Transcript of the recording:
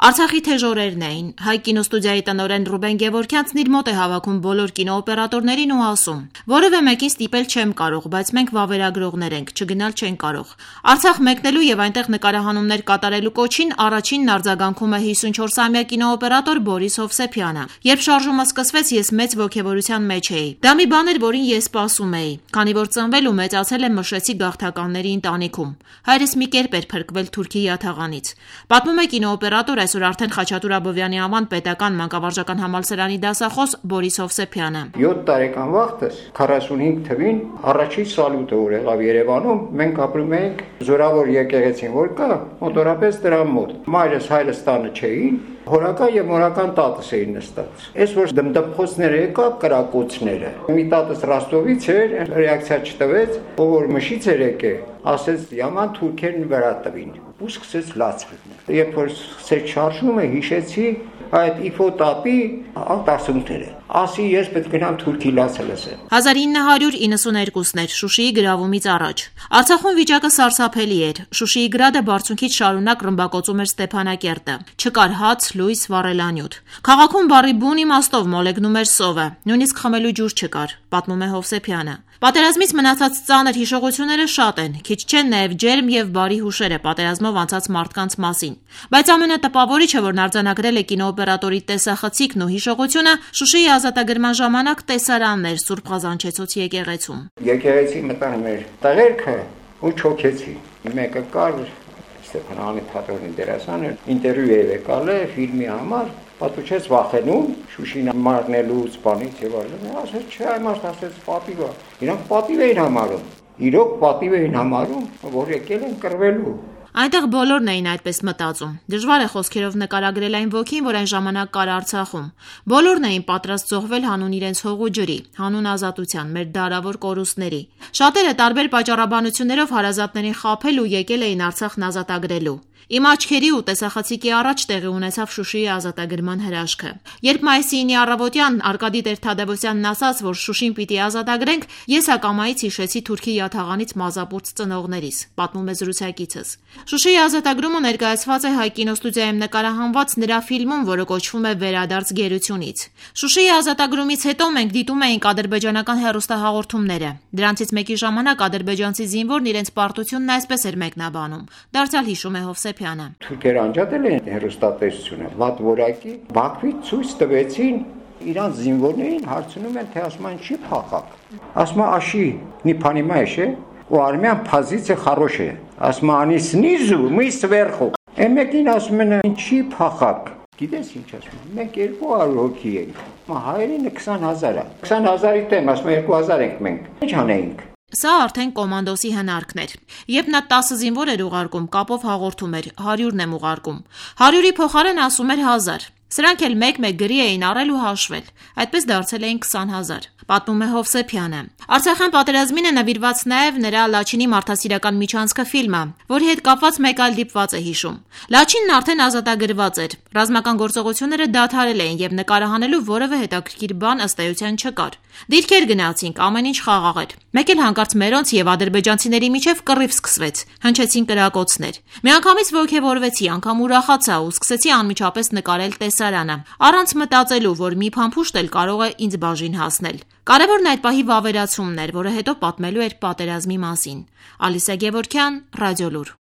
Արցախի թեժ օրերն էին, Հայ կինոստուդիայի տնօրեն Ռուբեն Գևորգյանցն իր մոտ է հավաքում բոլոր կինոօպերատորներին ու ասում. որևէ մեկին ստիպել չեմ կարող, բայց մենք վավերագրողներ ենք, չգնալ չեն կարող։ Արցախ մեկնելու եւ այնտեղ նկարահանումներ կատարելու կոչին առաջինն արձագանքում է 54-ամյա կինոօպերատոր Բորիս Հովսեփյանը։ Երբ շարժումը սկսվեց, ես մեծ ոգևորության մեջ էի։ Դա մի բան էր, որին ես սպասում էի, քանի որ ծնվել ու մեծացել եմ Մշեցի գաղթականների ընտանիքում։ Հայրս մի կերպ էր փրկվել Թուրքի յաթաղանից։ Պատմում է կինոօպերատոր այսօր արդեն Խաչատուր Աբովյանի անվան պետական մանկավարժական համալսարանի դասախոս Բորիս Հովսեփյանը։ 7 տարեկան վաղտս 45 թվին առաջին սալյուտը որ եղավ Երևանում, մենք ապրում էինք զորավոր եկեղեցին, որ կա մոտորապես դրա մոտ։ Մայրս հայրս տանը չէին, հորական եւ մորական տատս էին նստած։ Այս որ դմդմխոցները եկա կրակոցները։ Մի տատս Ռոստովից էր, ռեակցիա չտվեց, ով որ մշից էր եկել, ասեց «Yaman թուրքերն վրա տվին» ու սկսեց լացվել։ Երբ որ սկսեց շարժումը, հիշեցի այդ իֆոտապի 18-ները։ Ասի ես պետք գնամ Թուրքի լացը լսեմ։ 1992-ն էր Շուշիի գրավումից առաջ։ Արցախում վիճակը սարսափելի էր։ Շուշիի գրադը բարձունքից շարունակ ռմբակոծում էր Ստեփանակերտը։ Չկար հաց, լույս, վառելանյութ։ Քաղաքում բառի բուն իմաստով մոլեգնում էր սովը, նույնիսկ խմելու ջուր չկար, պատմում է Հովսեփյանը։ Պատերազմից մնացած ծանր հիշողությունները շատ են, քիչ չեն նաև ջերմ եւ բարի հուշերը պատերազմով անցած մարդկանց մասին։ Բայց ամենատպավորիչը, որն արձանագրել է կինոօպերատորի տեսախցիկն ու հիշողությունը, Շուշիի ազատագրման ժամանակ տեսարանն էր Սուրբ Ղազանչեցոց եկեղեցում։ Եկեղեցի մտան մեր տղերքը ու չոքեցի։ Մեկը կար Ստեփանանի Թատրոնի դերասանը, ինտերվյու է եկալ է ֆիլմի համար, պատուչեց վախենում, Շուշին մարնելուց, բանից եւ այլն։ Ասեց չէ, այմաստ ասեց պատիվ է։ Իրանք պատիվ էին համարում։ Իրոք պատիվ էին համարում, որ եկել են կռվելու։ Այնտեղ բոլորն էին այդպես մտածում։ Դժվար է խոսքերով նկարագրել այն ոգին, որ այն ժամանակ կար Արցախում։ Բոլորն էին պատրաստ զոհվել հանուն իրենց հող ու ջրի, հանուն ազատության, մեր դարավոր կորուստների։ Շատերը տարբեր պատճառաբանություններով հարազատներին խաբել ու եկել էին Արցախն ազատագրելու։ Իմ աչքերի ու տեսախցիկի առաջ տեղի ունեցավ Շուշիի ազատագրման հրաշքը։ Երբ մայիսի 9-ի առավոտյան Արկադի Տեր-Թադևոսյանն ասաց, որ Շուշին պիտի ազատագրենք, ես ակամայից հիշեցի Թուրքի յաթաղանից մազապուրծ ծնողներիս, պատմում է զրուցակիցս։ Շուշիի ազատագրումը ներկայացված է Հայ կինոստուդիայում նկարահանված նրա ֆիլմում, որը կոչվում է «Վերադարձ գերությունից»։ Շուշիի ազատագրումից հետո մենք դիտում էինք ադրբեջանական հեռուստահաղորդումները։ Դրանցից մեկի ժամանակ ադրբեջանցի զինվորն իրենց պարտությունն այսպես էր մեկնաբանում։ Դարձյալ հիշում է Հովսեփյանը։ Թուրքերը անջատել են հեռուստատեսությունը, վատ որակի, Բաքվից ցույց տվեցին իրանց զինվորներին, հարցնում են, թե ասում են չի փախակ։ Ասում են աշի, не понимаешь, ու армян позиция хорошая։ Ասում են они снизу, мы сверху։ Մեկին ասում են ինչի փախակ։ Գիտես ինչ ասում են։ Մենք 200 հոգի ենք։ Հայերին 20000 է։ 20000-ի դեմ ասում են 2000 ենք մենք։ Ինչ անենք։ Սա արդեն կոմանդոսի հնարքն էր։ Երբ նա 10 զինվոր էր ուղարկում, կապով հաղորդում էր 100-ն եմ ուղարկում։ 100-ի փոխարեն ասում էր 1000։ Սրանք էլ մեկ-մեկ գրի էին առել ու հաշվել։ Այդպես դարձել էին 20000։ Պատմում է Հովսեփյանը։ Արցախյան պատերազմին է նվիրված նաև նրա Լաչինի մարդասիրական միջանցքը ֆիլմը, որի հետ կապված մեկ այլ դիպված է հիշում։ Լաչինն արդեն ազատագրված էր։ Ռազմական գործողությունները դադարել էին եւ նկարահանելու որևէ հետաքրքիր բան ըստ էության չկար։ Դիրքեր գնացինք, ամեն ինչ խաղաղ էր։ Մեկ էլ հանկարծ մերոնց եւ ադրբեջանցիների միջև կռիվ սկսվեց։ Հնչեցին կրակոցներ։ Միանգամից ոգևորվեցի, անգամ ուրախացա ու սկսեցի անմիջապես նկարել տեսարանը, առանց մտածելու, որ մի փամփուշտ էլ կարող է ինձ բաժին հասնել։ Կարևորն այդ պահի վավերացումն էր, որը հետո պատմելու էր պատերազմի մասին։ Ալիսա Գևորգյան, Ռադիոլուր։